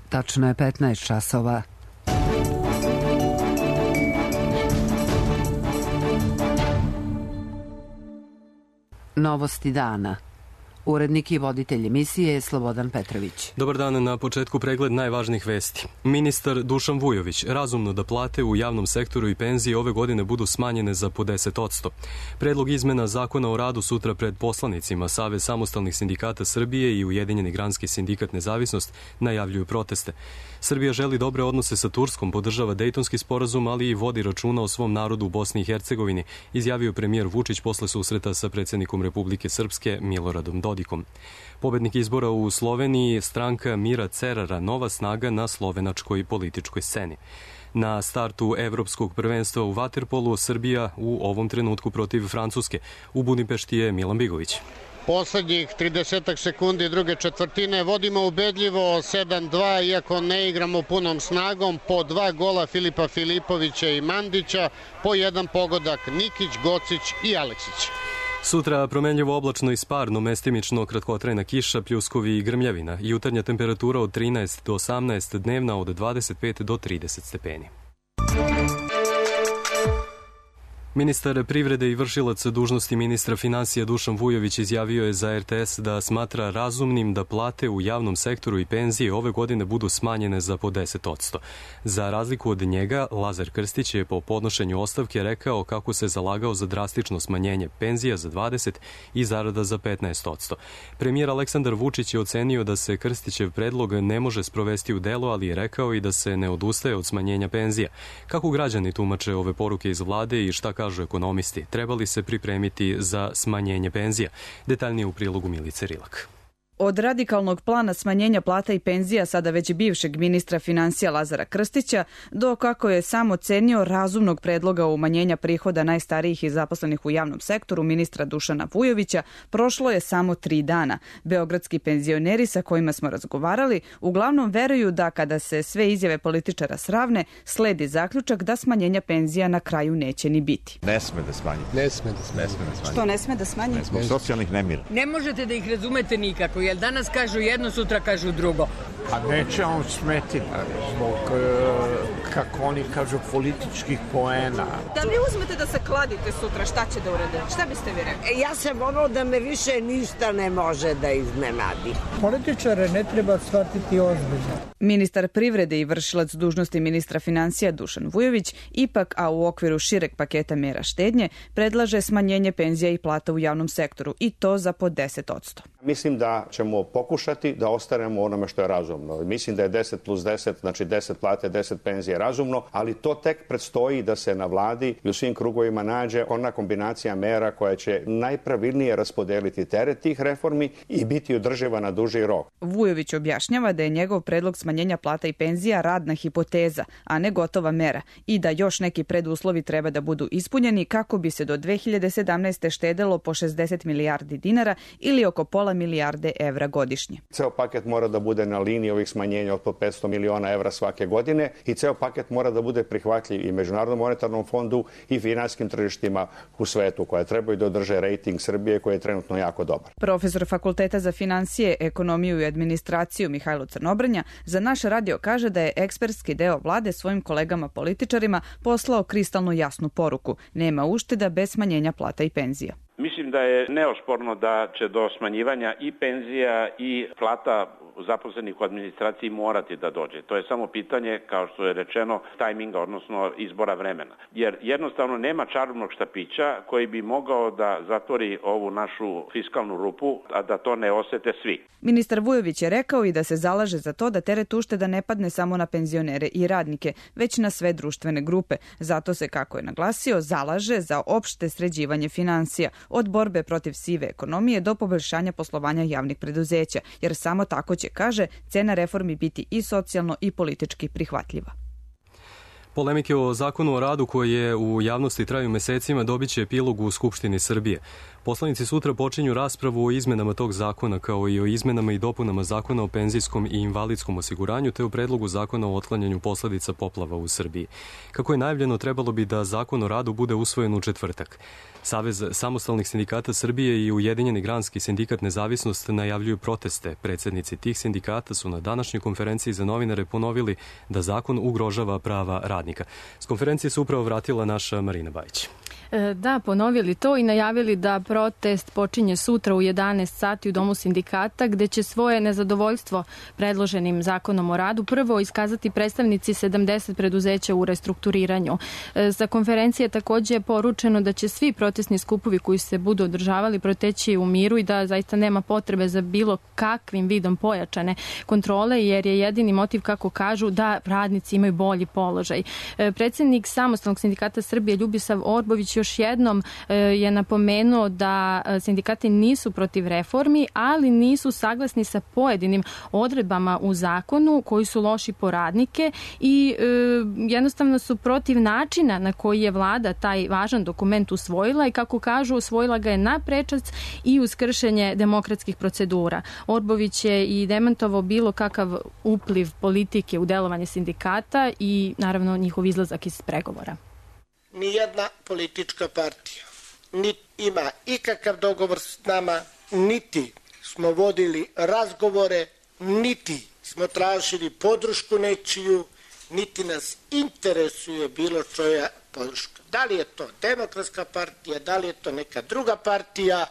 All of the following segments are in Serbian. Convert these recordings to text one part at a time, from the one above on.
Tačno je 15 časova. Novosti dana. Urednik i voditelj emisije je Slobodan Petrović. Dobar dan, na početku pregled najvažnijih vesti. Ministar Dušan Vujović, razumno da plate u javnom sektoru i penzije ove godine budu smanjene za po 10%. Predlog izmena zakona o radu sutra pred poslanicima. Savez samostalnih sindikata Srbije i Ujedinjeni granski sindikat Nezavisnost najavljuju proteste. Srbija želi dobre odnose sa Turskom, podržava Dejtonski sporazum, ali i vodi računa o svom narodu u Bosni i Hercegovini, izjavio premijer Vučić posle susreta sa predsjednikom Republike Srpske Miloradom Dodikom. Pobednik izbora u Sloveniji, stranka Mira Cerara, nova snaga na slovenačkoj političkoj sceni. Na startu evropskog prvenstva u vaterpolu Srbija u ovom trenutku protiv Francuske. U Budimpešti je Milan Bigović. Poslednjih 30 sekundi druge četvrtine vodimo ubedljivo 7-2, iako ne igramo punom snagom, po 2 gola Filipa Filipovića i Mandića, po 1 pogodak Nikić, Gocić i Aleksić. Sutra promenljivo oblačno i sparno, mestimično kratkotrajna kiša, pljuskovi i grmljavina. Jutarnja temperatura od 13 do 18, dnevna od 25 do 30 stepeni. Ministar privrede i vršilac dužnosti ministra finansija Dušan Vujović izjavio je za RTS da smatra razumnim da plate u javnom sektoru i penzije ove godine budu smanjene za po 10%. Za razliku od njega, Lazar Krstić je po podnošenju ostavke rekao kako se zalagao za drastično smanjenje penzija za 20% i zarada za 15%. Premijer Aleksandar Vučić je ocenio da se Krstićev predlog ne može sprovesti u delo, ali je rekao i da se ne odustaje od smanjenja penzija. Kako građani tumače ove poruke iz vlade i šta kažu ekonomisti, trebali se pripremiti za smanjenje penzija? Detaljnije u prilogu Milice Rilak. Od radikalnog plana smanjenja plata i penzija sada već bivšeg ministra finansija Lazara Krstića do, kako je sam ocenio, razumnog predloga umanjenja prihoda najstarijih i zaposlenih u javnom sektoru ministra Dušana Vujovića, prošlo je samo 3 dana. Beogradski penzioneri sa kojima smo razgovarali uglavnom veruju da kada se sve izjave političara sravne, sledi zaključak da smanjenja penzija na kraju neće ni biti. Ne sme da smanji. Što ne sme da smanji? Zbog socijalnih nemira. Ne možete da ih razumete nikako, jer danas kažu jedno, sutra kažu drugo. A neće on smeti zbog, kako oni kažu, političkih poena. Da vi uzmete da se kladite sutra, šta će da urade? Šta biste vi rekli? Ja sam ono da me više ništa ne može da iznenadi. Političare ne treba shvatiti ozbiljno. Ministar privrede i vršilac dužnosti ministra finansija Dušan Vujović ipak, a u okviru šireg paketa mera štednje, predlaže smanjenje penzija i plata u javnom sektoru i to za po 10%. Mislim da ćemo pokušati da ostanemo onome što je razumno. Mislim da je 10 plus 10, znači 10 plate, 10 penzije razumno, ali to tek predstoji da se na vladi i u svim krugovima nađe ona kombinacija mera koja će najpravilnije raspodeliti teret tih reformi i biti održiva na duži rok. Vujović objašnjava da je njegov predlog smanjenja plata i penzija radna hipoteza, a ne gotova mera, i da još neki preduslovi treba da budu ispunjeni kako bi se do 2017. štedelo po 60 milijardi dinara ili oko pola milijarde evra godišnje. Ceo paket mora da bude na liniji ovih smanjenja od po 500 miliona evra svake godine i ceo paket mora da bude prihvatljiv i Međunarodnom monetarnom fondu i finansijskim tržištima u svetu koja trebaju da održe rejting Srbije koji je trenutno jako dobar. Profesor Fakulteta za finansije, ekonomiju i administraciju Mihajlo Crnobrnja za naš radio kaže da je ekspertski deo vlade svojim kolegama političarima poslao kristalno jasnu poruku. Nema ušteda bez smanjenja plata i penzija. Mislim da je neosporno da će do smanjivanja i penzija i plata zaposlenih u administraciji morati da dođe. To je samo pitanje, kao što je rečeno, tajminga, odnosno izbora vremena. Jer jednostavno nema čarobnog štapića koji bi mogao da zatvori ovu našu fiskalnu rupu, a da to ne osete svi. Ministar Vujović je rekao i da se zalaže za to da teret ušteda ne padne samo na penzionere i radnike, već na sve društvene grupe. Zato se, kako je naglasio, zalaže za opšte sređivanje finansija, od borbe protiv sive ekonomije do poboljšanja poslovanja javnih preduzeća, jer samo tako će, kaže, cena reformi biti i socijalno i politički prihvatljiva. Polemike o zakonu o radu koje u javnosti traju mesecima dobit će epilog u Skupštini Srbije. Poslanici sutra počinju raspravu o izmenama tog zakona, kao i o izmenama i dopunama zakona o penzijskom i invalidskom osiguranju, te o predlogu zakona o otklanjanju posledica poplava u Srbiji. Kako je najavljeno, trebalo bi da zakon o radu bude usvojen u četvrtak. Savez samostalnih sindikata Srbije i Ujedinjeni granski sindikat Nezavisnost najavljuju proteste. Predsednici tih sindikata su na današnjoj konferenciji za novinare ponovili da zakon ugrožava prava radnika. S konferencije se upravo vratila naša Marina Bajić. Da, ponovili to i najavili da protest počinje sutra u 11 sati u Domu sindikata, gde će svoje nezadovoljstvo predloženim zakonom o radu prvo iskazati predstavnici 70 preduzeća u restrukturiranju. Sa konferencije takođe je poručeno da će svi protestni skupovi koji se budu održavali proteći u miru i da zaista nema potrebe za bilo kakvim vidom pojačane kontrole, jer je jedini motiv, kako kažu, da radnici imaju bolji položaj. Predsednik Samostalnog sindikata Srbije Ljubisav Orbović još jednom je napomenuo da sindikati nisu protiv reformi, ali nisu saglasni sa pojedinim odredbama u zakonu koji su loši po radnike i jednostavno su protiv načina na koji je vlada taj važan dokument usvojila i, kako kažu, usvojila ga je na prečac i uz kršenje demokratskih procedura. Orbović je i demantovao bilo kakav upliv politike u delovanje sindikata i naravno njihov izlazak iz pregovora. Nijedna politička partija niti ima ikakav dogovor s nama, niti smo vodili razgovore, niti smo tražili podršku nečiju, niti nas interesuje bilo čoja podrška. Da li je to Demokratska partija, da li je to neka druga partija,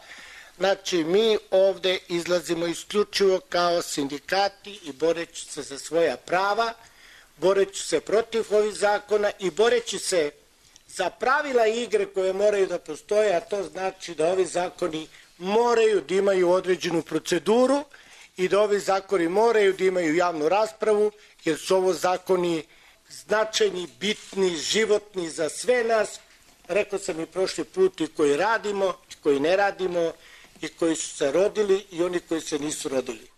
znači mi ovde izlazimo isključivo kao sindikati i boreći se za svoja prava, boreći se protiv ovih zakona i boreći se za pravila igre koje moraju da postoje, a to znači da ovi zakoni moraju da imaju određenu proceduru i da ovi zakoni moraju da imaju javnu raspravu, jer su ovo zakoni značajni, bitni, životni za sve nas. Rekao sam i prošli put, i koji radimo, i koji ne radimo, i koji su se rodili i oni koji se nisu rodili.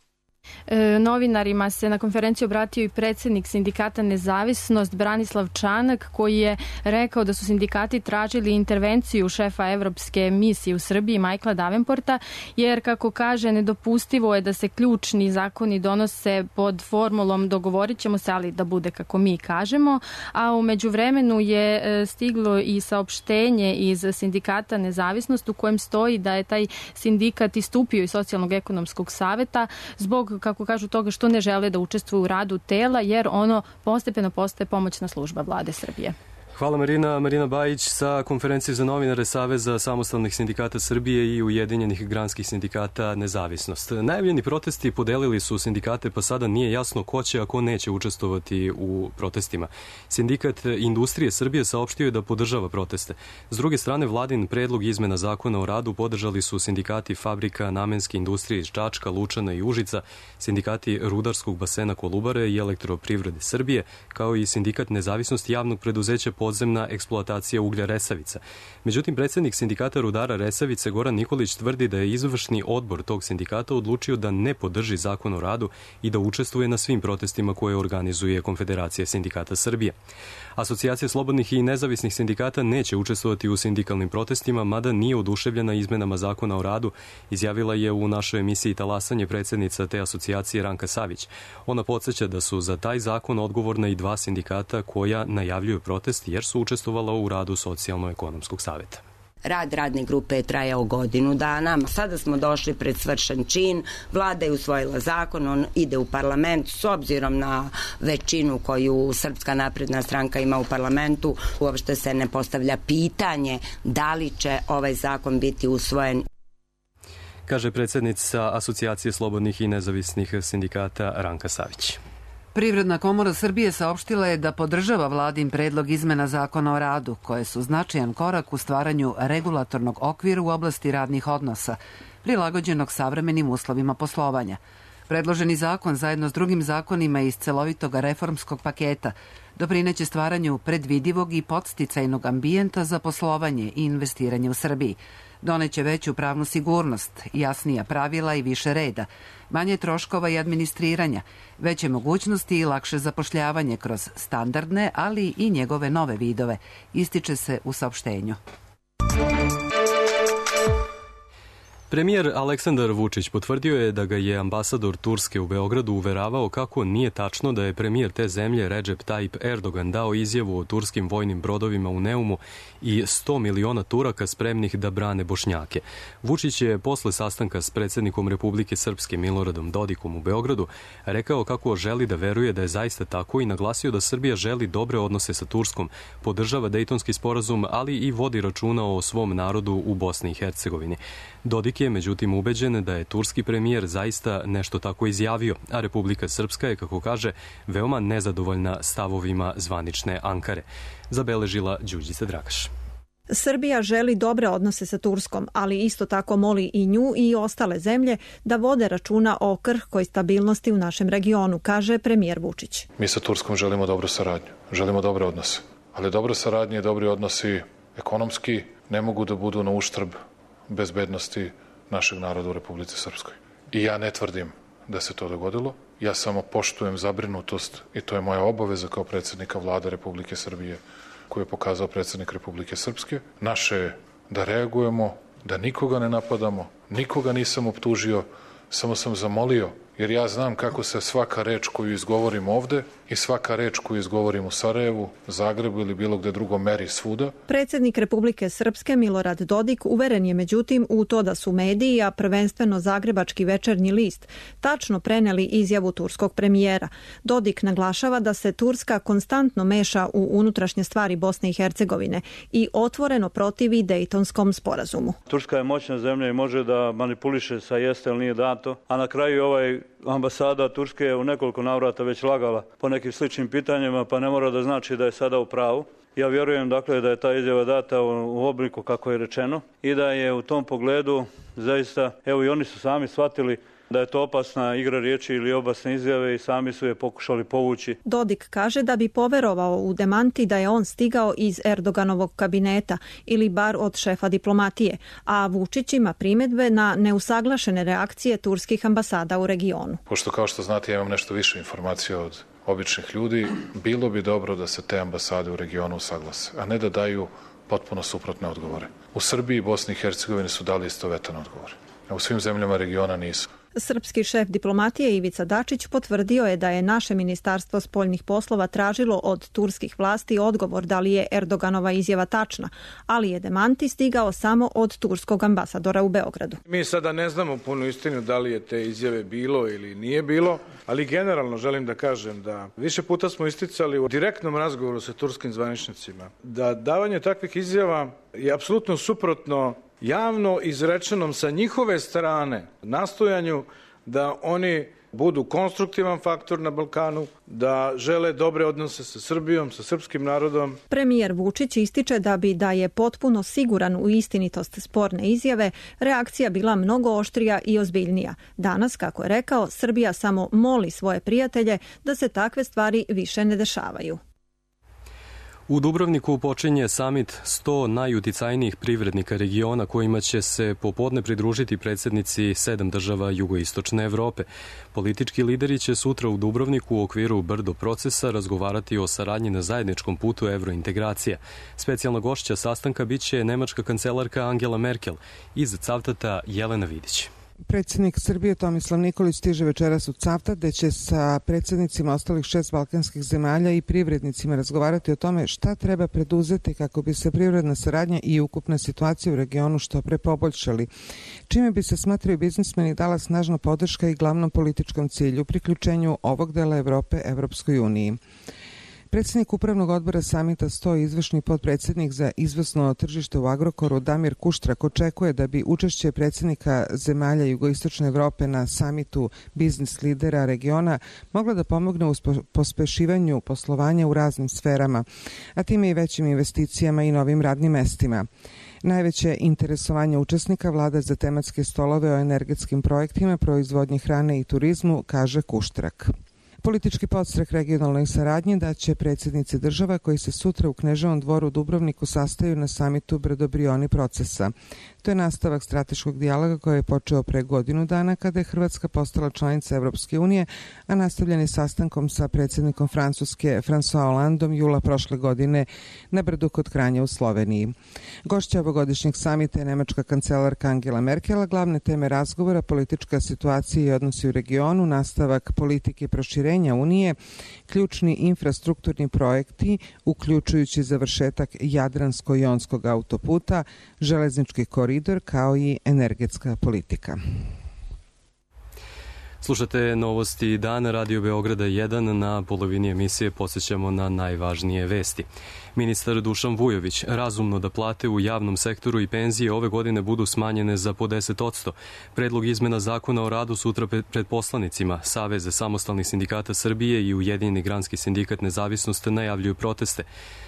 Novinarima se na konferenciji obratio i predsednik sindikata Nezavisnost Branislav Čanak, koji je rekao da su sindikati tražili intervenciju šefa Evropske misije u Srbiji Michaela Davenporta, jer, kako kaže, nedopustivo je da se ključni zakoni donose pod formulom dogovorit ćemo se, ali da bude kako mi kažemo, a u međuvremenu je stiglo i saopštenje iz sindikata Nezavisnost u kojem stoji da je taj sindikat istupio iz Socijalnog ekonomskog saveta zbog, kako kažu, toga što ne žele da učestvuju u radu tela, jer ono postepeno postaje pomoćna služba vlade Srbije. Hvala Marina. Marina Bajić sa konferencije za novinare Saveza samostalnih sindikata Srbije i Ujedinjenih granskih sindikata Nezavisnost. Najavljeni protesti podelili su sindikate, pa sada nije jasno ko će, a ko neće učestvovati u protestima. Sindikat Industrije Srbije saopštio je da podržava proteste. S druge strane, vladin predlog izmena zakona o radu podržali su sindikati fabrika namenske industrije iz Čačka, Lučana i Užica, sindikati Rudarskog basena Kolubare i Elektroprivrede Srbije, kao i sindikat Nezavisnosti javnog preduzeća podzemna eksploatacija uglja Resavica. Međutim, predsednik sindikata rudara Resavice Goran Nikolić tvrdi da je izvršni odbor tog sindikata odlučio da ne podrži zakon o radu i da učestvuje na svim protestima koje organizuje Konfederacija sindikata Srbije. Asocijacija slobodnih i nezavisnih sindikata neće učestvovati u sindikalnim protestima, mada nije oduševljena izmenama zakona o radu, izjavila je u našoj emisiji Talasanje predsednica te asocijacije Ranka Savić. Ona podsjeća da su za taj zakon odgovorna i dva sindikata koja najavljuju protest jer su učestvovala u radu Socijalno-ekonomskog saveta. Rad radne grupe je trajao godinu dana. Sada smo došli pred svršen čin. Vlada je usvojila zakon, on ide u parlament. S obzirom na većinu koju Srpska napredna stranka ima u parlamentu, uopšte se ne postavlja pitanje da li će ovaj zakon biti usvojen. Kaže predsednica Asocijacije slobodnih i nezavisnih sindikata Ranka Savić. Privredna komora Srbije saopštila je da podržava vladin predlog izmena zakona o radu, koje su značajan korak u stvaranju regulatornog okvira u oblasti radnih odnosa, prilagođenog savremenim uslovima poslovanja. Predloženi zakon, zajedno s drugim zakonima iz celovitog reformskog paketa, doprineće stvaranju predvidivog i podsticajnog ambijenta za poslovanje i investiranje u Srbiji. Doneće veću pravnu sigurnost, jasnija pravila i više reda, manje troškova i administriranja, veće mogućnosti i lakše zapošljavanje kroz standardne, ali i njegove nove vidove, ističe se u saopštenju. Premijer Aleksandar Vučić potvrdio je da ga je ambasador Turske u Beogradu uveravao kako nije tačno da je premijer te zemlje Recep Tayyip Erdogan dao izjavu o turskim vojnim brodovima u Neumu i 100 miliona Turaka spremnih da brane Bošnjake. Vučić je posle sastanka s predsjednikom Republike Srpske Miloradom Dodikom u Beogradu rekao kako želi da veruje da je zaista tako i naglasio da Srbija želi dobre odnose sa Turskom, podržava Dejtonski sporazum, ali i vodi računa o svom narodu u Bosni i Hercegovini. Dodik je međutim ubeđen da je turski premijer zaista nešto tako izjavio, a Republika Srpska je, kako kaže, veoma nezadovoljna stavovima zvanične Ankare. Zabeležila Đurđica Dragaš. Srbija želi dobre odnose sa Turskom, ali isto tako moli i nju i ostale zemlje da vode računa o krhkoj stabilnosti u našem regionu, kaže premijer Vučić. Mi sa Turskom želimo dobru saradnju, želimo dobre odnose, ali dobra saradnja i dobri odnosi ekonomski ne mogu da budu na uštrb bezbednosti našeg naroda u Republici Srpskoj. I ja ne tvrdim da se to dogodilo, ja samo poštujem zabrinutost i to je moja obaveza kao predsjednika Vlade Republike Srbije koju je pokazao predsjednik Republike Srpske. Naše je da reagujemo, da nikoga ne napadamo, nikoga nisam optužio, samo sam zamolio, jer ja znam kako se svaka reč koju izgovorim ovde i svaka reč koju izgovorim u Sarajevu, Zagrebu ili bilo gde drugo meri svuda. Predsjednik Republike Srpske Milorad Dodik uveren je međutim u to da su mediji, a prvenstveno Zagrebački večernji list, tačno preneli izjavu turskog premijera. Dodik naglašava da se Turska konstantno meša u unutrašnje stvari Bosne i Hercegovine i otvoreno protivi Dejtonskom sporazumu. Turska je moćna zemlja i može da manipuliše sa jeste ili nije dato, a na kraju ambasada Turske je u nekoliko navrata već lagala po nekim sličnim pitanjima, pa ne mora da znači da je sada u pravu. Ja vjerujem dakle da je ta izjava data u obliku kako je rečeno i da je u tom pogledu zaista, evo i oni su sami shvatili da je to opasna igra riječi ili opasne izjave i sami su je pokušali povući. Dodik kaže da bi poverovao u demanti da je on stigao iz Erdoganovog kabineta ili bar od šefa diplomatije, a Vučić ima primjedbe na neusaglašene reakcije turskih ambasada u regionu. Pošto kao što znate ja imam nešto više informacija od običnih ljudi, bilo bi dobro da se te ambasade u regionu usaglase, a ne da daju potpuno suprotne odgovore. U Srbiji i Bosni i Hercegovini su dali istovetane odgovore, a u svim zemljama regiona nisu. Srpski šef diplomatije Ivica Dačić potvrdio je da je naše ministarstvo spoljnih poslova tražilo od turskih vlasti odgovor da li je Erdoganova izjava tačna, ali je demanti stigao samo od turskog ambasadora u Beogradu. Mi sada ne znamo punu istinu da li je te izjave bilo ili nije bilo, ali generalno želim da kažem da više puta smo isticali u direktnom razgovoru sa turskim zvaničnicima da davanje takvih izjava je apsolutno suprotno javno izrečenom sa njihove strane nastojanju da oni budu konstruktivan faktor na Balkanu, da žele dobre odnose sa Srbijom, sa srpskim narodom. Premijer Vučić ističe da je potpuno siguran u istinitost sporne izjave, reakcija bila mnogo oštrija i ozbiljnija. Danas, kako je rekao, Srbija samo moli svoje prijatelje da se takve stvari više ne dešavaju. U Dubrovniku počinje samit 100 najuticajnijih privrednika regiona kojima će se popodne pridružiti predsjednici 7 država jugoistočne Evrope. Politički lideri će sutra u Dubrovniku u okviru Brdo procesa razgovarati o saradnji na zajedničkom putu evrointegracija. Specijalna gošća sastanka biće nemačka kancelarka Angela Merkel, iz Cavtata Jelena Vidić. Predsjednik Srbije Tomislav Nikolić stiže večeras u Cavtat, gde će sa predsjednicima ostalih 6 balkanskih zemalja i privrednicima razgovarati o tome šta treba preduzeti kako bi se privredna saradnja i ukupna situacija u regionu što pre poboljšali, čime bi se, smatraju biznismeni, dala snažna podrška i glavnom političkom cilju priključenju ovog dela Evrope Evropskoj uniji. Predsjednik Upravnog odbora samita 100 izvršni potpredsjednik za izvozno tržište u Agrokoru Damir Kuštrak očekuje da bi učešće predsjednika zemalja jugoistočne Evrope na samitu biznis lidera regiona mogla da pomogne u pospešivanju poslovanja u raznim sferama, a time i većim investicijama i novim radnim mestima. Najveće interesovanje učesnika vlada za tematske stolove o energetskim projektima, proizvodnji hrane i turizmu, kaže Kuštrak. Politički podstrek regionalnoj saradnji da će predsjednici država koji se sutra u Kneževom dvoru u Dubrovniku sastaju na samitu Brdo-Brioni procesa. To je nastavak strateškog dijaloga koji je počeo pre godinu dana kada je Hrvatska postala članica Evropske unije, a nastavljen je sastankom sa predsjednikom Francuske François Hollandom jula prošle godine na Brdu kod Kranja u Sloveniji. Gošća ovogodišnjeg samita je nemačka kancelarka Angela Merkel, a glavne teme razgovora politička situacija i odnosi u regionu, nastavak politike proširenja Unije, ključni infrastrukturni projekti, uključujući završetak Jadransko-jonskog autoputa, železnički koridor kao i energetska politika. Slušate novosti dana Radio Beograda 1. Na polovini emisije podsjećamo na najvažnije vesti. Ministar Dušan Vujović, razumno da plate u javnom sektoru i penzije ove godine budu smanjene za po 10%. Predlog izmena zakona o radu sutra pred poslanicima. Savez samostalnih sindikata Srbije i Ujedinjeni granski sindikat Nezavisnost najavljuju proteste.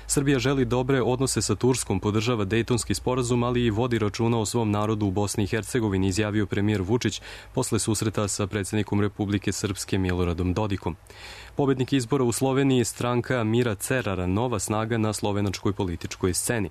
Srbija želi dobre odnose sa Turskom, podržava Dejtonski sporazum, ali i vodi računa o svom narodu u Bosni i Hercegovini, izjavio premijer Vučić posle susreta sa predsjednikom Republike Srpske Miloradom Dodikom. Pobednik izbora u Sloveniji, stranka Mira Cerara, nova snaga na slovenačkoj političkoj sceni.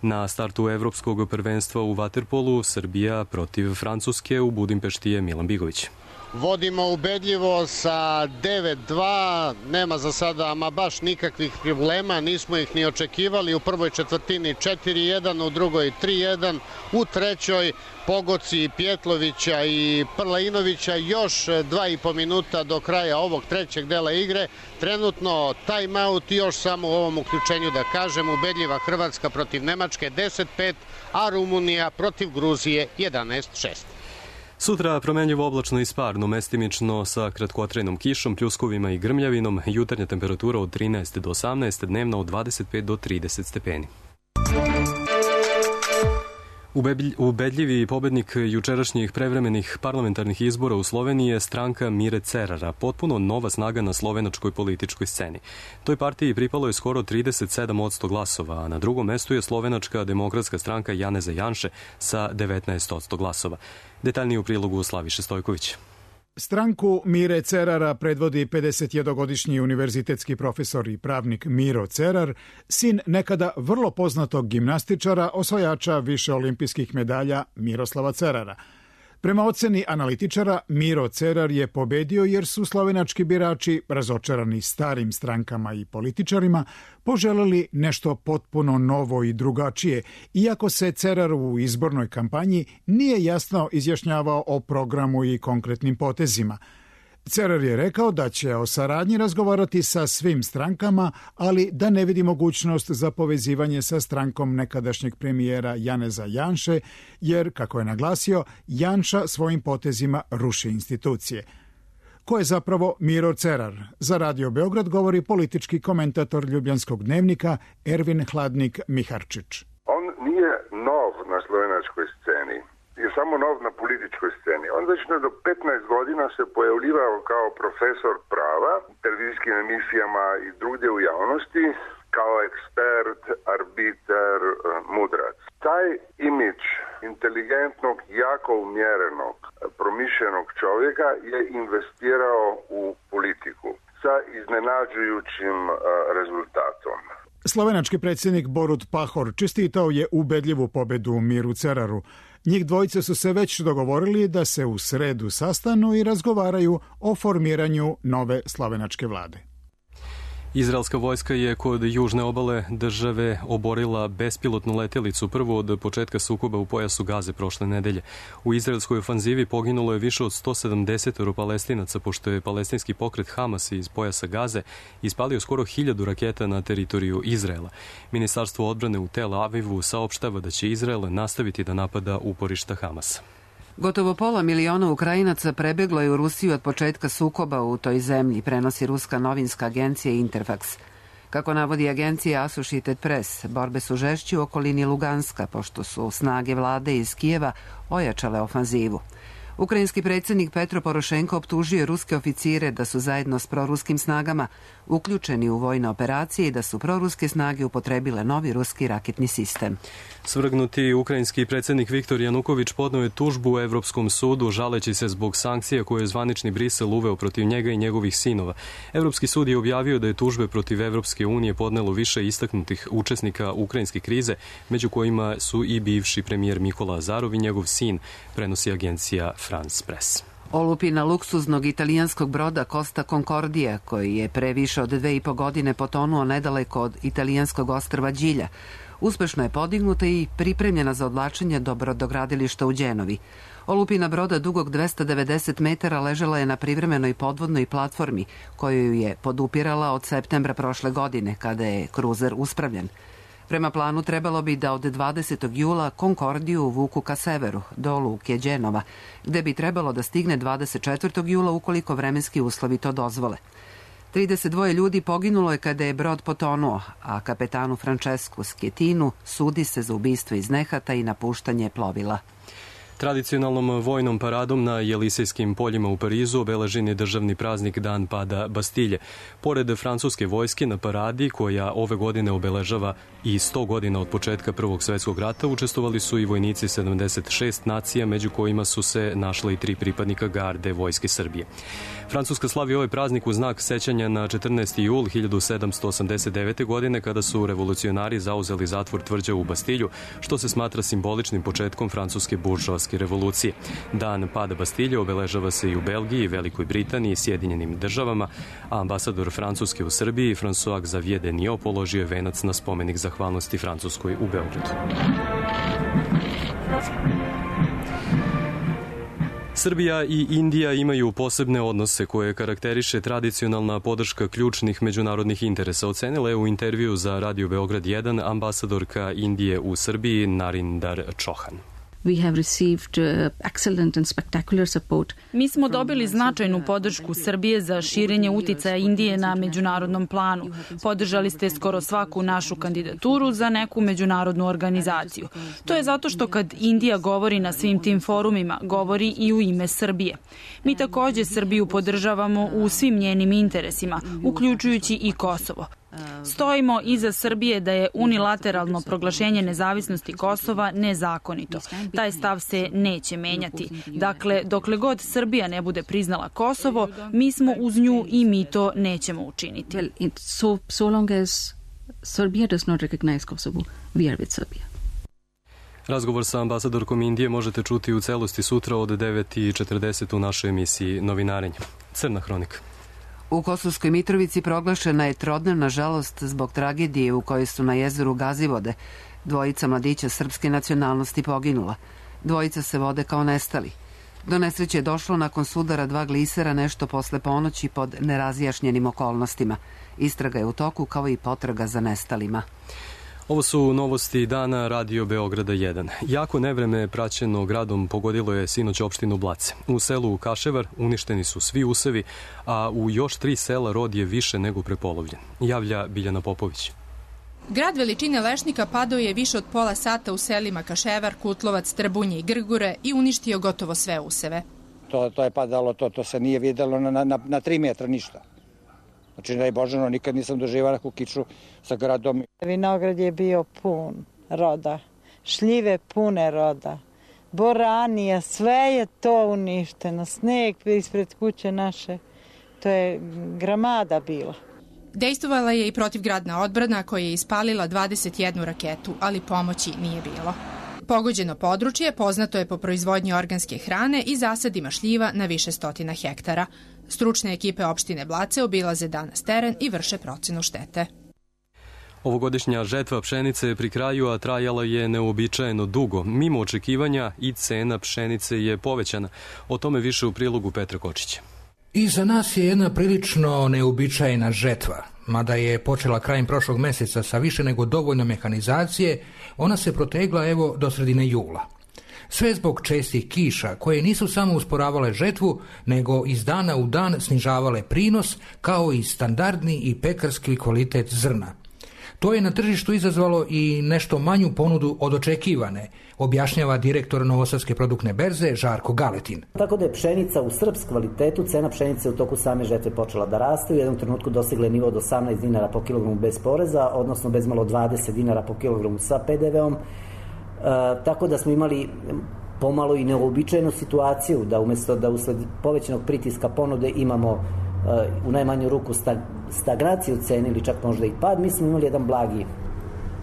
Na startu evropskog prvenstva u vaterpolu Srbija protiv Francuske u Budimpešti je Milan Bigović. Vodimo ubedljivo sa 9-2, nema za sada ama baš nikakvih problema, nismo ih ni očekivali. U prvoj četvrtini 4-1, u drugoj 3-1, u trećoj pogoci Pjetlovića i Prlainovića, još 2,5 minuta do kraja ovog trećeg dela igre. Trenutno timeout i još samo u ovom uključenju da kažem, ubedljiva Hrvatska protiv Nemačke 10-5, a Rumunija protiv Gruzije 11-6. Sutra promenljivo oblačno i sparno, mestimično sa kratkotrajnom kišom, pljuskovima i grmljavinom, jutarnja temperatura od 13 do 18, dnevna od 25 do 30 stepeni. Ubedljivi pobednik jučerašnjih prevremenih parlamentarnih izbora u Sloveniji je stranka Mire Cerara, potpuno nova snaga na slovenačkoj političkoj sceni. Toj partiji pripalo je skoro 37% glasova, a na drugom mestu je slovenačka demokratska stranka Janeza Janše sa 19% glasova. Detaljnije u prilogu Slaviše Stojković. Stranku Mire Cerara predvodi 51-godišnji univerzitetski profesor i pravnik Miro Cerar, sin nekada vrlo poznatog gimnastičara, osvajača više olimpijskih medalja Miroslava Cerara. Prema oceni analitičara, Miro Cerar je pobedio jer su slovenački birači, razočarani starim strankama i političarima, poželeli nešto potpuno novo i drugačije, iako se Cerar u izbornoj kampanji nije jasno izjašnjavao o programu i konkretnim potezima. Cerar je rekao da će o saradnji razgovarati sa svim strankama, ali da ne vidi mogućnost za povezivanje sa strankom nekadašnjeg premijera Janeza Janše, jer, kako je naglasio, Janša svojim potezima ruši institucije. Ko je zapravo Miro Cerar? Za Radio Beograd govori politički komentator Ljubljanskog dnevnika Ervin Hladnik Miharčić. On nije nov na slovenačkoj sceni. Je samo nov na političkoj sceni. On već do 15 godina se pojavljivao kao profesor prava, televizijskim emisijama i drugdje u javnosti, kao ekspert, arbiter, mudrac. Taj imidž inteligentnog, jako umjerenog, promišljenog čovjeka je investirao u politiku sa iznenađujućim rezultatom. Slovenački predsjednik Borut Pahor čestitao je ubedljivu pobedu Miru Ceraru. Njih dvojice su se već dogovorili da se u sredu sastanu i razgovaraju o formiranju nove slovenačke vlade. Izraelska vojska je kod južne obale države oborila bespilotnu letelicu prvo od početka sukoba u pojasu Gaze prošle nedelje. U izraelskoj ofanzivi poginulo je više od 170 Palestinaca, pošto je palestinski pokret Hamas iz pojasa Gaze ispalio skoro 1000 raketa na teritoriju Izraela. Ministarstvo odbrane u Tel Avivu saopštava da će Izrael nastaviti da napada uporišta Hamasa. Gotovo 500.000 Ukrajinaca prebeglo je u Rusiju od početka sukoba u toj zemlji, prenosi ruska novinska agencija Interfax. Kako navodi agencija Associated Press, borbe su žešće u okolini Luganska, pošto su snage vlade iz Kijeva ojačale ofanzivu. Ukrajinski predsjednik Petro Porošenko optužio je ruske oficire da su zajedno s proruskim snagama uključeni u vojne operacije i da su proruske snage upotrebile novi ruski raketni sistem. Svrgnuti ukrajinski predsjednik Viktor Januković podneo je tužbu u Evropskom sudu žaleći se zbog sankcija koje je zvanični Brisel uveo protiv njega i njegovih sinova. Evropski sud je objavio da je tužbe protiv Evropske unije podnelo više istaknutih učesnika ukrajinske krize, među kojima su i bivši premijer Nikola Azarov i njegov sin, prenosi agencija France Press. Olupina luksuznog italijanskog broda Costa Concordia, koji je pre više od 2,5 godine potonuo nedaleko od italijanskog ostrva Đilja, uspešno je podignuta i pripremljena za odvlačenje do brodogradilišta u Đenovi. Olupina broda dugog 290 metara ležela je na privremenoj podvodnoj platformi koju je podupirala od septembra prošle godine, kada je kruzer uspravljen. Prema planu trebalo bi da od 20. jula Konkordiju vuku ka severu, do luke Đenova, gde bi trebalo da stigne 24. jula ukoliko vremenski uslovi to dozvole. 32 ljudi poginulo je kada je brod potonuo, a kapetanu Francesku Skjetinu sudi se za ubistvo iz nehata i napuštanje plovila. Tradicionalnom vojnom paradom na Jelisejskim poljima u Parizu obeležen je državni praznik Dan pada Bastilje. Pored francuske vojske na paradi, koja ove godine obeležava i 100 godina od početka Prvog svjetskog rata, učestvovali su i vojnici 76 nacija, među kojima su se našle i 3 pripadnika garde Vojske Srbije. Francuska slavi ovaj praznik u znak sećanja na 14. jul 1789. godine, kada su revolucionari zauzeli zatvor tvrđavu u Bastilju, što se smatra simboličnim početkom francuske buržoaske revolucije. Dan pada Bastilje obeležava se i u Belgiji, Velikoj Britaniji i Sjedinjenim državama, a ambasador Francuske u Srbiji, François Xavier Deniot, položio je venac na spomenik zahvalnosti Francuskoj u Beogradu. Srbija i Indija imaju posebne odnose koje karakteriše tradicionalna podrška ključnih međunarodnih interesa, ocenila je u intervju za Radio Beograd 1 ambasadorka Indije u Srbiji Narindar Chauhan. Mi smo dobili značajnu podršku Srbije za širenje uticaja Indije na međunarodnom planu. Podržali ste skoro svaku našu kandidaturu za neku međunarodnu organizaciju. To je zato što kad Indija govori na svim tim forumima, govori i u ime Srbije. Mi takođe Srbiju podržavamo u svim njenim interesima, uključujući i Kosovo. Stojimo iza Srbije da je unilateralno proglašenje nezavisnosti Kosova nezakonito. Taj stav se neće menjati. Dakle, dokle god Srbija ne bude priznala Kosovo, mi smo uz nju i mi to nećemo učiniti. So long as Serbia does not recognize Kosovo, we are with Serbia. Razgovor sa ambasadorkom Indije možete čuti u celosti sutra od 9:40 u našoj emisiji Novinarenje. Crna hronika. U Kosovskoj Mitrovici proglašena je trodnevna žalost zbog tragedije u kojoj su na jezeru Gazivode 2 mladića srpske nacionalnosti poginula. 2 se vode kao nestali. Do nesreće je došlo nakon sudara 2 glisera nešto posle ponoći pod nerazjašnjenim okolnostima. Istraga je u toku kao i potraga za nestalima. Ovo su novosti dana Radio Beograda 1. Jako nevreme praćeno gradom pogodilo je sinoć opštinu Blace. U selu Kaševar uništeni su svi usevi, a u još 3 sela rod je više nego prepolovljen. Javlja Biljana Popović. Grad veličine lešnika padao je više od pola sata u selima Kaševar, Kutlovac, Trbunje i Grgure i uništio gotovo sve useve. To je padalo, to se nije videlo na 3 metra ništa. Znači, daj Božano, nikad nisam doživao neku kiču sa gradom. Vinograd je bio pun roda, šljive pune roda, boranija, sve je to uništeno, sneg ispred kuće naše, to je gramada bila. Dejstvovala je i protivgradna odbrana koja je ispalila 21 raketu, ali pomoći nije bilo. Pogođeno područje poznato je po proizvodnji organske hrane i zasadima šljiva na više stotina hektara. Stručne ekipe opštine Blace obilaze danas teren i vrše procenu štete. Ovogodišnja žetva pšenice je pri kraju, a trajala je neuobičajeno dugo. Mimo očekivanja i cena pšenice je povećana. O tome više u prilogu Petra Kočića. I za nas je jedna prilično neuobičajena žetva. Mada je počela krajem prošlog meseca sa više nego dovoljno mehanizacije, ona se protegla evo do sredine jula. Sve zbog čestih kiša koje nisu samo usporavale žetvu, nego iz dana u dan snižavale prinos kao i standardni i pekarski kvalitet zrna. To je na tržištu izazvalo i nešto manju ponudu od očekivane, objašnjava direktor Novosadske produktne berze Žarko Galetin. Tako da je pšenica u srpsk kvalitetu, cena pšenice u toku same žetve počela da raste, u jednom trenutku dosegla nivo od 18 dinara po kilogramu bez poreza, odnosno bez malo 20 dinara po kilogramu sa PDV-om, tako da smo imali pomalo i neobičajnu situaciju da umjesto da usled povećanog pritiska ponude imamo u najmanju ruku stagnaciju cene ili čak možda i pad, mi smo imali jedan blagi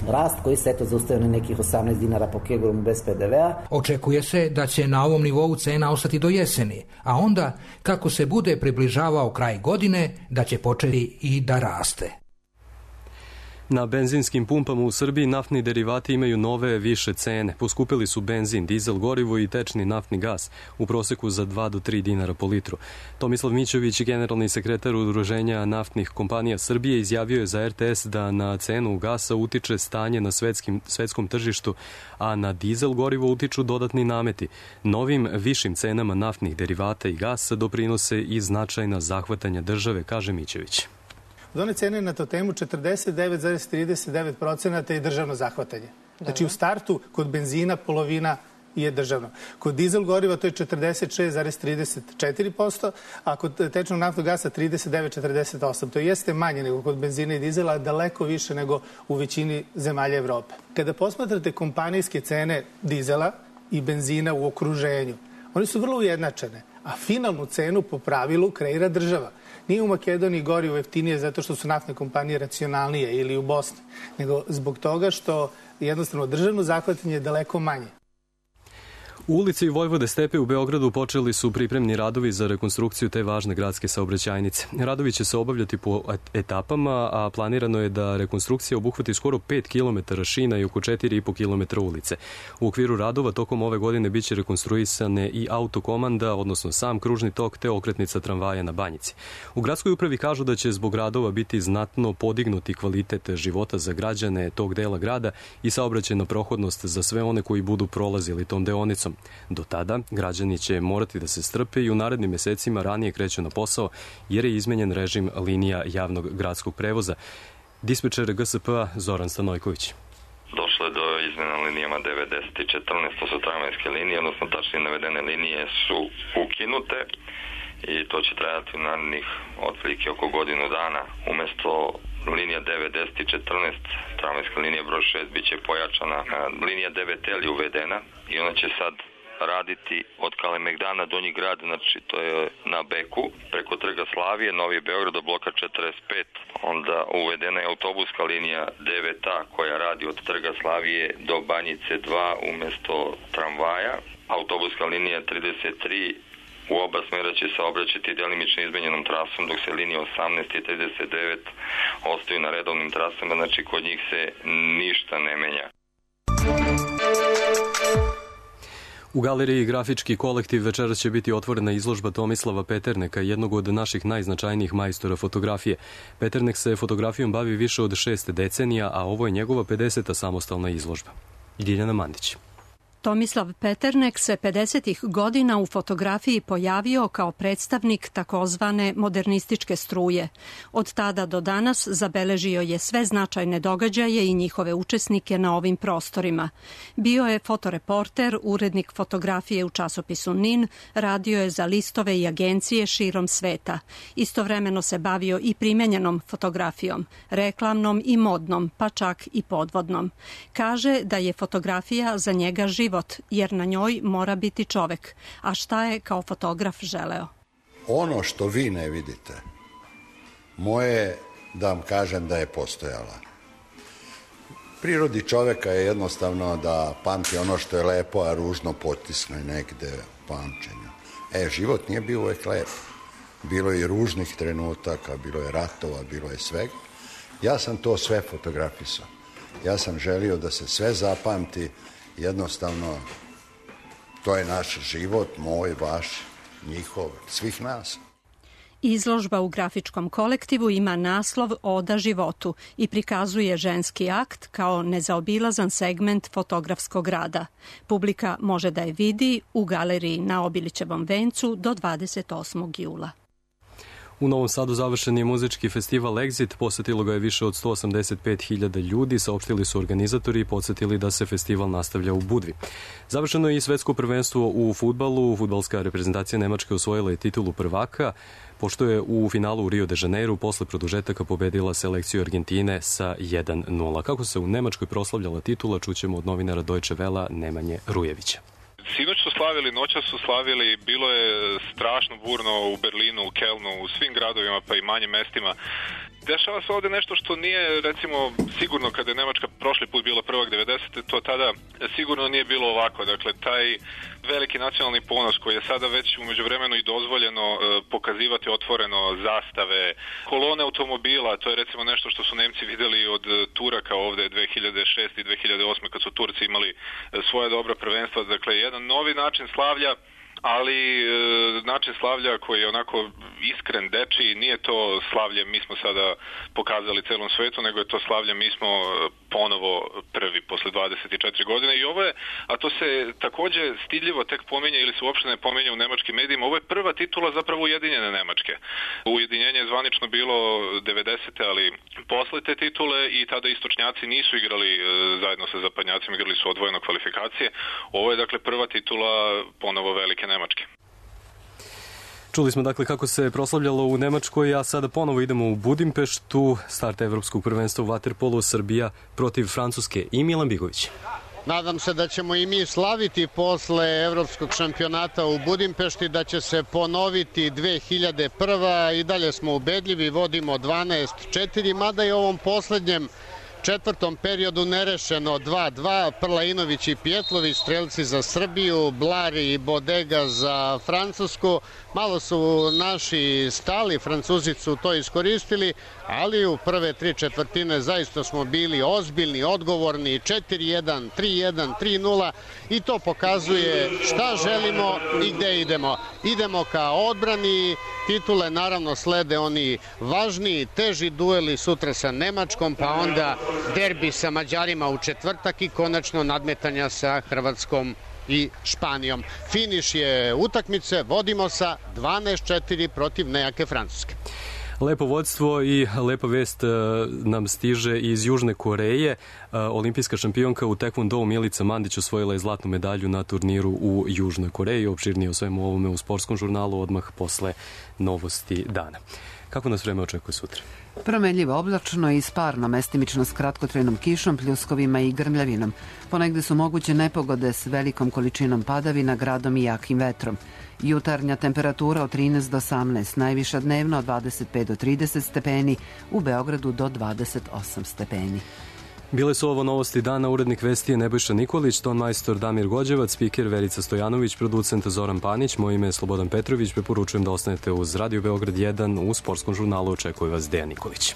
rast koji se zaustavio na nekih 18 dinara po kilogramu bez PDV-a. Očekuje se da će na ovom nivou cena ostati do jeseni, a onda, kako se bude približavao kraj godine, da će početi i da raste. Na benzinskim pumpama u Srbiji naftni derivati imaju nove više cene. Poskupili su benzin, dizel gorivo i tečni naftni gas u proseku za 2 do 3 dinara po litru. Tomislav Mićović, generalni sekretar Udruženja naftnih kompanija Srbije, izjavio je za RTS da na cenu gasa utiče stanje na svetskom tržištu, a na dizel gorivo utiču dodatni nameti. Novim višim cenama naftnih derivata i gasa doprinose i značajna zahvatanja države, kaže Mićović. Od one cene na to temu 49,39% je državno zahvatanje. Znači u startu kod benzina polovina je državno. Kod dizel goriva to je 46,34%, a kod tečnog naftnog gasa 39,48%. To jeste manje nego kod benzina i dizela, daleko više nego u većini zemalja Evrope. Kada posmatrate kompanijske cene dizela i benzina u okruženju, one su vrlo ujednačene, a finalnu cenu po pravilu kreira država. Nije u Makedoniji gorivo jeftinije zato što su naftne kompanije racionalnije ili u Bosni, nego zbog toga što jednostavno državno zahvatanje je daleko manje. U ulici Vojvode Stepe u Beogradu počeli su pripremni radovi za rekonstrukciju te važne gradske saobraćajnice. Radovi će se obavljati po etapama, a planirano je da rekonstrukcija obuhvati skoro 5 km šina i oko 4,5 km ulice. U okviru radova tokom ove godine biće rekonstruisane i autokomanda, odnosno sam kružni tok te okretnica tramvaja na Banjici. U gradskoj upravi kažu da će zbog radova biti znatno podignuti kvalitet života za građane tog dela grada i saobraćajna prohodnost za sve one koji budu prolazili tom deonicom. Do tada građani će morati da se strpe i u narednim mesecima ranije kreću na posao jer je izmenjen režim linija javnog gradskog prevoza. Dispečer GSP-a Zoran Stanojković. Došlo je do izmjena linijama 9, 10 i 14, to su tramvajske linije, odnosno tačnije navedene linije su ukinute i to će trajati u narednih otprilike oko godinu dana. Umesto linija 9, 10 i 14, tramvajska linija broj 6 biće pojačana. Linija 9L je uvedena i ona će sad raditi od Kalemegdana Donji grad, znači to je na Beku, preko Trga Slavije, Novi Beograd do bloka 45. Onda uvedena je autobuska linija 9A koja radi od Trga Slavije do Banjice 2 umesto tramvaja. Autobuska linija 33 u oba smjera će se obraćati delimično izmenjenom trasom, dok se linije 18 i 39 ostaju na redovnim trasama, znači kod njih se ništa ne menja. U galeriji Grafički kolektiv večeras će biti otvorena izložba Tomislava Peterneka, jednog od naših najznačajnijih majstora fotografije. Peternek se fotografijom bavi više od 6 decenija, a ovo je njegova 50. samostalna izložba. Ljiljana Mandić. Tomislav Peternek se 50. godina u fotografiji pojavio kao predstavnik takozvane modernističke struje. Od tada do danas zabeležio je sve značajne događaje i njihove učesnike na ovim prostorima. Bio je fotoreporter, urednik fotografije u časopisu NIN, radio je za listove i agencije širom sveta. Istovremeno se bavio i primenjenom fotografijom, reklamnom i modnom, pa čak i podvodnom. Kaže da je fotografija za njega život, jer na njoj mora biti čovek. A šta je kao fotograf želeo? Ono što vi ne vidite, moje da vam kažem da je postojala. Prirodi čoveka je jednostavno da pamti ono što je lepo, a ružno potisne negde u pamćenju. Život nije bio uvek lep. Bilo je i ružnih trenutaka, bilo je ratova, bilo je svega. Ja sam to sve fotografisao. Ja sam želio da se sve zapamti. Jednostavno, to je naš život, moj, vaš, njihov, svih nas. Izložba u Grafičkom kolektivu ima naslov Oda životu i prikazuje ženski akt kao nezaobilazan segment fotografskog rada. Publika može da je vidi u galeriji na Obilićevom vencu do 28. jula. U Novom Sadu završen je muzički festival Exit, posetilo ga je više od 185.000 ljudi, saopštili su organizatori i podsjetili da se festival nastavlja u Budvi. Završeno je i svetsko prvenstvo u fudbalu, fudbalska reprezentacija Nemačke osvojila je titulu prvaka, pošto je u finalu u Rio de Janeiru posle produžetaka pobedila selekciju Argentine sa 1:0. Kako se u Nemačkoj proslavljala titula, čućemo od novinara Deutsche Wella Nemanje Rujevića. Sinoć su slavili, noća su slavili, bilo je strašno burno u Berlinu, u Kelnu, u svim gradovima pa i manjim mestima. Dešava se ovde nešto što nije, recimo, sigurno kada je Nemačka prošli put bila prvak 90. to tada sigurno nije bilo ovako. Dakle, taj veliki nacionalni ponos koji je sada već umeđu vremenu i dozvoljeno pokazivati otvoreno, zastave, kolone automobila, to je recimo nešto što su Nemci videli od Turaka ovde 2006. i 2008. kad su Turci imali svoje dobra prvenstva. Dakle, jedan novi način slavlja, ali način slavlja koji je onako iskren, dečiji, nije to slavlje mi smo sada pokazali celom svetu, nego je to slavlje mi smo ponovo prvi posle 24 godine i ovo je, a to se takođe stidljivo tek pominje ili se uopšte ne pominje u nemačkim medijima, ovo je prva titula zapravo Ujedinjene Nemačke. Ujedinjenje je zvanično bilo 90. ali posle te titule i tada istočnjaci nisu igrali zajedno sa zapadnjacima, igrali su odvojeno kvalifikacije. Ovo je dakle prva titula ponovo velike Nemačke. Čuli smo dakle kako se proslavljalo u Nemačkoj, a sada ponovo idemo u Budimpeštu, start evropskog prvenstva u vaterpolu, Srbija protiv Francuske i Milan Bigović. Nadam se da ćemo i mi slaviti posle evropskog šampionata u Budimpešti, da će se ponoviti 2001. I dalje smo ubedljivi, vodimo 12-4, mada je ovom poslednjem četvrtom periodu nerešeno 2-2, Prlainović i Pjetlović, strelci za Srbiju, Blari i Bodega za Francusku. Malo su naši stali, Francuzi su to iskoristili, ali u prve 3/4 zaista smo bili ozbiljni, odgovorni, 4-1, 3-1, 3-0 i to pokazuje šta želimo i gde idemo. Idemo ka odbrani titule, naravno slede oni važniji, teži dueli sutra sa Nemačkom, pa onda derbi sa Mađarima u četvrtak i konačno nadmetanja sa Hrvatskom i Španijom. Finiš je utakmice, vodimo sa 12-4 protiv nejake Francuske. Lepo vodstvo i lepa vest nam stiže iz Južne Koreje. Olimpijska šampionka u tekvondou Milica Mandić osvojila je zlatnu medalju na turniru u Južnoj Koreji. Opširnije o svemu ovome u sportskom žurnalu odmah posle novosti dana. Kako nas vreme očekuje sutra? Promenljivo oblačno i sparno, mestimično s kratkotrajnom kišom, pljuskovima i grmljavinom. Ponegde su moguće nepogode s velikom količinom padavina, gradom i jakim vetrom. Jutarnja temperatura od 13 do 18, najviša dnevno od 25 do 30 stepeni, u Beogradu do 28 stepeni. Bile su ovo novosti dana, urednik vesti je Nebojša Nikolić, ton majstor Damir Gođevac, spiker Verica Stojanović, producent Zoran Panić, moje ime je Slobodan Petrović, preporučujem da ostanete uz Radio Beograd 1, u sportskom žurnalu očekuje vas Dejan Nikolić.